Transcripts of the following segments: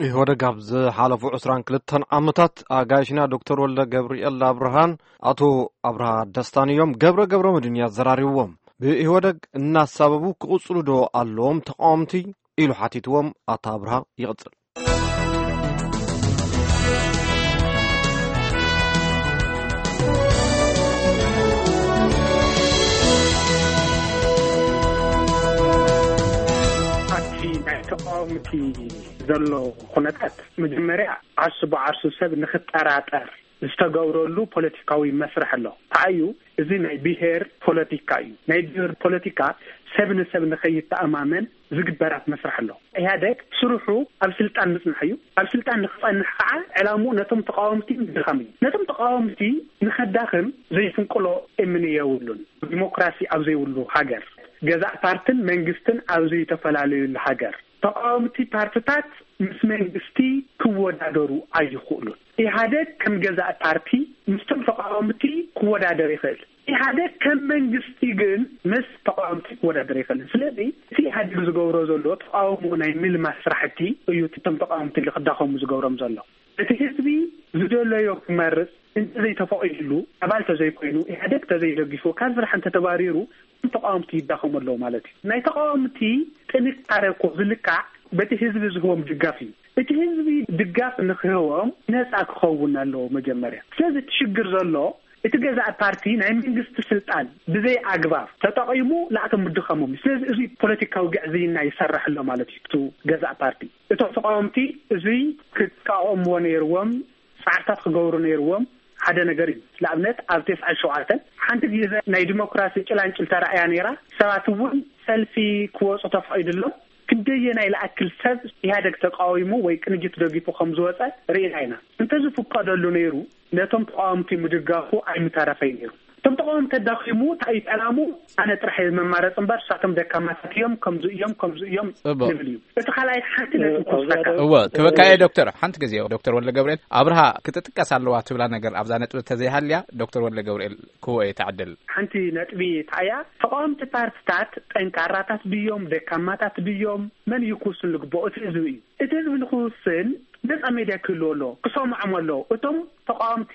ኢህወደግ ኣብ ዝሓለፉ ዕስራን ክልተን ዓመታት ኣጋይሽና ዶክተር ወልደ ገብርኤል ኣብርሃን ኣቶ ኣብርሃ ደስታን እዮም ገብረ ገብረ መድህን ኣዘራሪብዎም። ብኢህወደግ እናሳበቡ ክቕጽሉ ዶ ኣለዎም ተቃወምቲ ኢሉ ሓቲትዎም። ኣቶ ኣብርሃ ይቕጽል። ኣብቲ ናይ ተቃወምቲ ዘሎ ኩነታት መጀመርያ ዓርሱ ብዓርሱ ሰብ ንክጠራጠር ዝተገብረሉ ፖለቲካዊ መስርሕ ኣሎ። እንታይ እዩ? እዚ ናይ ብሄር ፖለቲካ እዩ። ናይ ብሄር ፖለቲካ ሰብ ንሰብ ንኸይተኣማመን ዝግበራት መስርሕ ኣሎ። ኢህኣደግ ስርሑ ኣብ ስልጣን ምጽናሕ እዩ። ኣብ ስልጣን ንክጸንሕ ከዓ ዕላምኡ ነቶም ተቃወምቲ ምድኻም እዩ። ነቶም ተቃወምቲ ንኸዳኽም ዘይፍንቅሎ እምኒ የብሉን። ዲሞክራሲ ኣብ ዘይብሉ ሃገር፣ ገዛእ ፓርትን መንግስትን ኣብ ዘይተፈላለዩሉ ሃገር፣ ተቃወምቲ ፓርትታት ምስ መንግስቲ ክወዳደሩ ኣይኽእሉን። ኢህኣደግ ከም ገዛእ ፓርቲ ምስቶም ተቃወምቲ ክወዳደር ይኽእል። ኢህኣደግ ከም መንግስቲ ግን ምስ ተቃወምቲ ክወዳደር ይኽእል። ስለዚ እቲ ኢህኣደግ ዝገብሮ ዘሎ ተቃውሞ ናይ ምልማስ ስራሕቲ እዩ እቶም ተቃወምቲ ክዳኸሙ ዝገብሮም ዘሎ። እቲ ህዝቢ ዝደለዮ ክመርጽ እንተዘይተፈቒድሉ፣ ኣባል ተዘይኮይኑ፣ ኢህኣደግ ተዘይደጊፉ፣ ካብ ስራሕ እንተተባሪሩ፣ ተቃወምቲ ይዳኸሙ ኣለዉ ማለት እዩ። ናይ ተቃወምቲ ጥንካረ እኮ ዝልካዕ በቲ ህዝቢ ዝህቦም ድጋፍ እዩ። እቲ ህዝቢ ድጋፍ ንክህቦም ነፃ ክኸውን ኣለዎ መጀመርያ። ስለዚ እቲ ሽግር ዘሎ እቲ ገዛእ ፓርቲ ናይ መንግስቲ ስልጣን ብዘይ ኣግባብ ተጠቒሙ ንኣቶም ምድኻሞም እዩ። ስለዚ እዚ ፖለቲካዊ ግዕዝይና ይሰርሕ ኣሎ ማለት እዩ። እቲ ገዛእ ፓርቲ እቶም ተቃወምቲ እዚ ክቃወምዎ ነይርዎም፣ ጻዕርታት ክገብሩ ነይርዎም። ሓደ ነገር እዩ። ንኣብነት ኣብ ተስዓን ሸውዓተን ሓንቲ ግዜ ናይ ዲሞክራሲ ጭላንጭል ተራእያ ነይራ። ሰባት እውን ሰልፊ ክወፁ ተፈቒድሎም። ክንደየናይ ለኣክል ሰብ ኢህኣደግ ተቃዊሙ ወይ ቅንጅት ደጊፉ ከም ዝወፀ ርኢና ኢና። እንተዝፍቀደሉ ነይሩ ነቶም ተቃወምቲ ምድጋፉ ኣይምተረፈይ ነይሩ። እቶም ተቃወምቲ ተዳኺሙ እንታይ እዩ ዕላሙ? ኣነ ጥራሕ እየ መማረፂ እምበር ንሳቶም ደካማታት እዮም፣ ከምዚ እዮም፣ ከምዚ እዮም እቦ። ዝብል እዩ። እቲ ካልኣይ ሓንቲ ነጥቢ ክወስደካ። እወ፣ ክበካ እየ ዶክተር። ሓንቲ ግዜ ዶክተር ወልደ ገብርኤል ኣብርሃ ክትጥቀስ ኣለዋ ትብላ ነገር ኣብዛ ነጥቢ ተዘይሃልያ ዶክተር ወልደ ገብርኤል ክህቦ እየ ተዕድል። ሓንቲ ነጥቢ እንታይ እያ? ተቃወምቲ ፓርትታት ጠንካራታት ድዮም ደካማታት ድዮም መን እዩ ክውስን ዝግብኦ? እቲ ህዝቢ እዩ። እቲ ህዝቢ ንክውስን ነፃ ሜድያ ክህልዎ ኣለዎ፣ ክሰምዖም ኣለዎ። እቶም ተቃወምቲ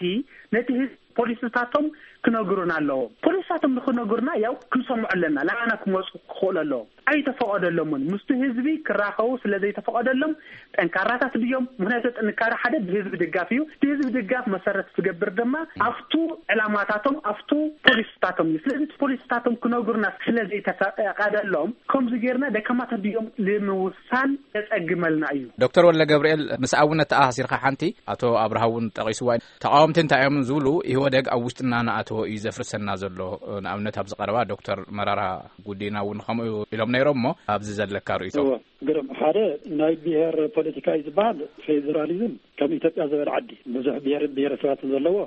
ነቲ ህዝቢ ፖሊሲታቶም ክነግሩና ኣለዎም። ፖሊሲታቶም ንክነግሩና ያው ክንሰምዖ ኣለና፣ ላባና ክመፁ ክኽእሉ ኣለዎም። ኣይተፈቐደሎምን። ምስቲ ህዝቢ ክራኸቡ ስለ ዘይተፈቐደሎም ጠንካራታት ድዮም? ምክንያቱ ጥንካረ ሓደ ብህዝቢ ድጋፍ እዩ። እቲ ህዝቢ ድጋፍ መሰረት ዝገብር ድማ ኣብቱ ዕላማታቶም ኣብቱ ፖሊሲታቶም እዩ። ስለዚ እቲ ፖሊሲታቶም ክነግሩና ስለ ዘይተፈቐደሎም ከምዚ ጌርና ደካማታት ድዮም ንምውሳን የጸግመልና እዩ። ዶክተር ወልደ ገብርኤል፣ ምስ ኣብነት ተኣሳሲርካ ሓንቲ፣ ኣቶ ኣብርሃ እውን ጠቒስዋ፣ ተቓወምቲ እንታይ እዮም ዝብሉ፣ ኢህወደግ ኣብ ውሽጥና እናኣተወ እዩ ዘፍርሰና ዘሎ። ንኣብነት ኣብዚ ቀረባ ዶክተር መራራ ጉዲና እውን ከምኡ ኢሎም ነይሮም። እሞ ኣብዚ ዘለካ ርእይቶ? እወ፣ ግርም። ሓደ ናይ ብሔር ፖለቲካ እዩ ዝበሃል። ፌዴራሊዝም ከም ኢትዮጵያ ዝበለ ዓዲ ብዙሕ ብሔር ብሔረሰባት ዘለዎ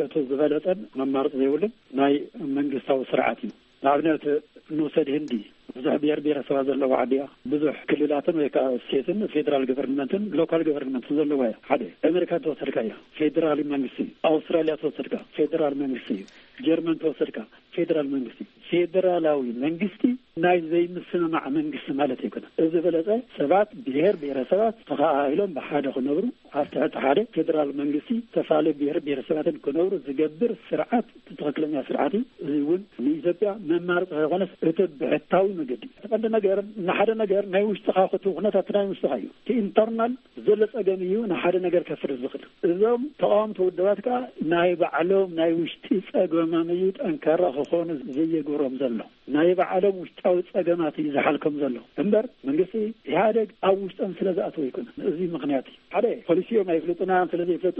እቲ ዝበለጸን መማረፂ ዘይብሉን ናይ መንግስታዊ ስርዓት እዩ። ንኣብነት ንውሰድ ህንዲ፣ ብዙሕ ብሔር ብሔረሰባት ዘለዎ ዓዲ እያ። ብዙሕ ክልላትን ወይ ከዓ ስቴትን ፌዴራል ገቨርንመንትን ሎካል ገቨርንመንትን ዘለዋ እያ። ሓደ ኣሜሪካ ተወሰድካ እያ፣ ፌዴራል መንግስቲ እዩ። ኣውስትራሊያ ተወሰድካ ፌዴራል መንግስቲ እዩ። ጀርመን ተወሰድካ ፌዴራል መንግስቲ እዩ። ፌዴራላዊ መንግስቲ ናይ ዘይምስምማዕ መንግስቲ ማለት ኣይኮነን። እዚ በለፀ ሰባት ብሔር ብሔረሰባት ተኸኣኢሎም ብሓደ ክነብሩ ኣብ ትሕቲ ሓደ ፌዴራል መንግስቲ ዝተፈላለዩ ብሔር ብሔረሰባትን ክነብሩ ዝገብር ስርዓት እቲ ትኽክለኛ ስርዓት እዩ። እዚ እውን ንኢትዮጵያ መማረፂ ከይኮነስ እቲ ብሕታዊ መገዲ እዩ። እቲ ቀንዲ ነገር ንሓደ ነገር ናይ ውሽጥኻ ክቱ ኩነታት ናይ ውሽጥኻ እዩ። እቲ ኢንተርናል ዘሎ ፀገም እዩ ንሓደ ነገር ከፍርስ ዝኽእል። እዞም ተቃወምቲ ውድባት ከዓ ናይ ባዕሎም ናይ ውሽጢ ፀገሞም እዩ ጠንካራ ክኾኑ ዘየግብሮም ዘሎ። ናይ ባዕሎም ውሽጣዊ ፀገማት እዩ ዝሓልኮም ዘሎ እምበር መንግስቲ ኢህኣደግ ኣብ ውሽጦም ስለ ዝኣተወ ኣይኮነን። እዚ ምኽንያት እዩ። ሓደ ፖሊሲኦም ኣይፍልጡና፣ ስለ ዘይፍለጡ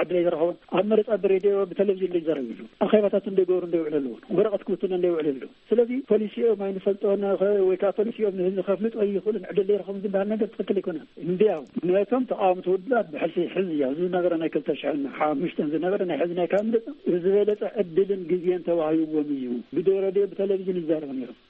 ዕድል ኣይተረኸቦም። ኣብ መረፃ ብሬድዮ ብቴሌቪዥን ዘይዘረብሉ፣ ኣኼባታት እንደገበሩ እንደውዕሉ ኣለዎ፣ ወረቐት ክብትኑ እንደውዕሉ ኣለዎ። ስለዚ ፖሊሲኦም ኣይንፈልጦን ከ-፣ ወይ ከዓ ፖሊሲኦም ንህዝቢ ከፍልጡ ኣይኽእሉን፣ ዕድል ዘይረኸቡን ዝበሃል ነገር ትኽክል ኣይኮነን። እንዲያው ነቶም ተቃወምቲ ውድባት ብሕልፊ ሕዚ እያ ዝነበረ ናይ ክልተ ሽሕን ሓሙሽተን ዝነበረ ናይ ሕዚ ናይ ካብ ምርጫ ዝበለፀ ዕድልን ግዜን ተዋሂብዎም እዩ። ብሬድዮ ብቴሌቪዥን ይዛረቡ ነይሮም።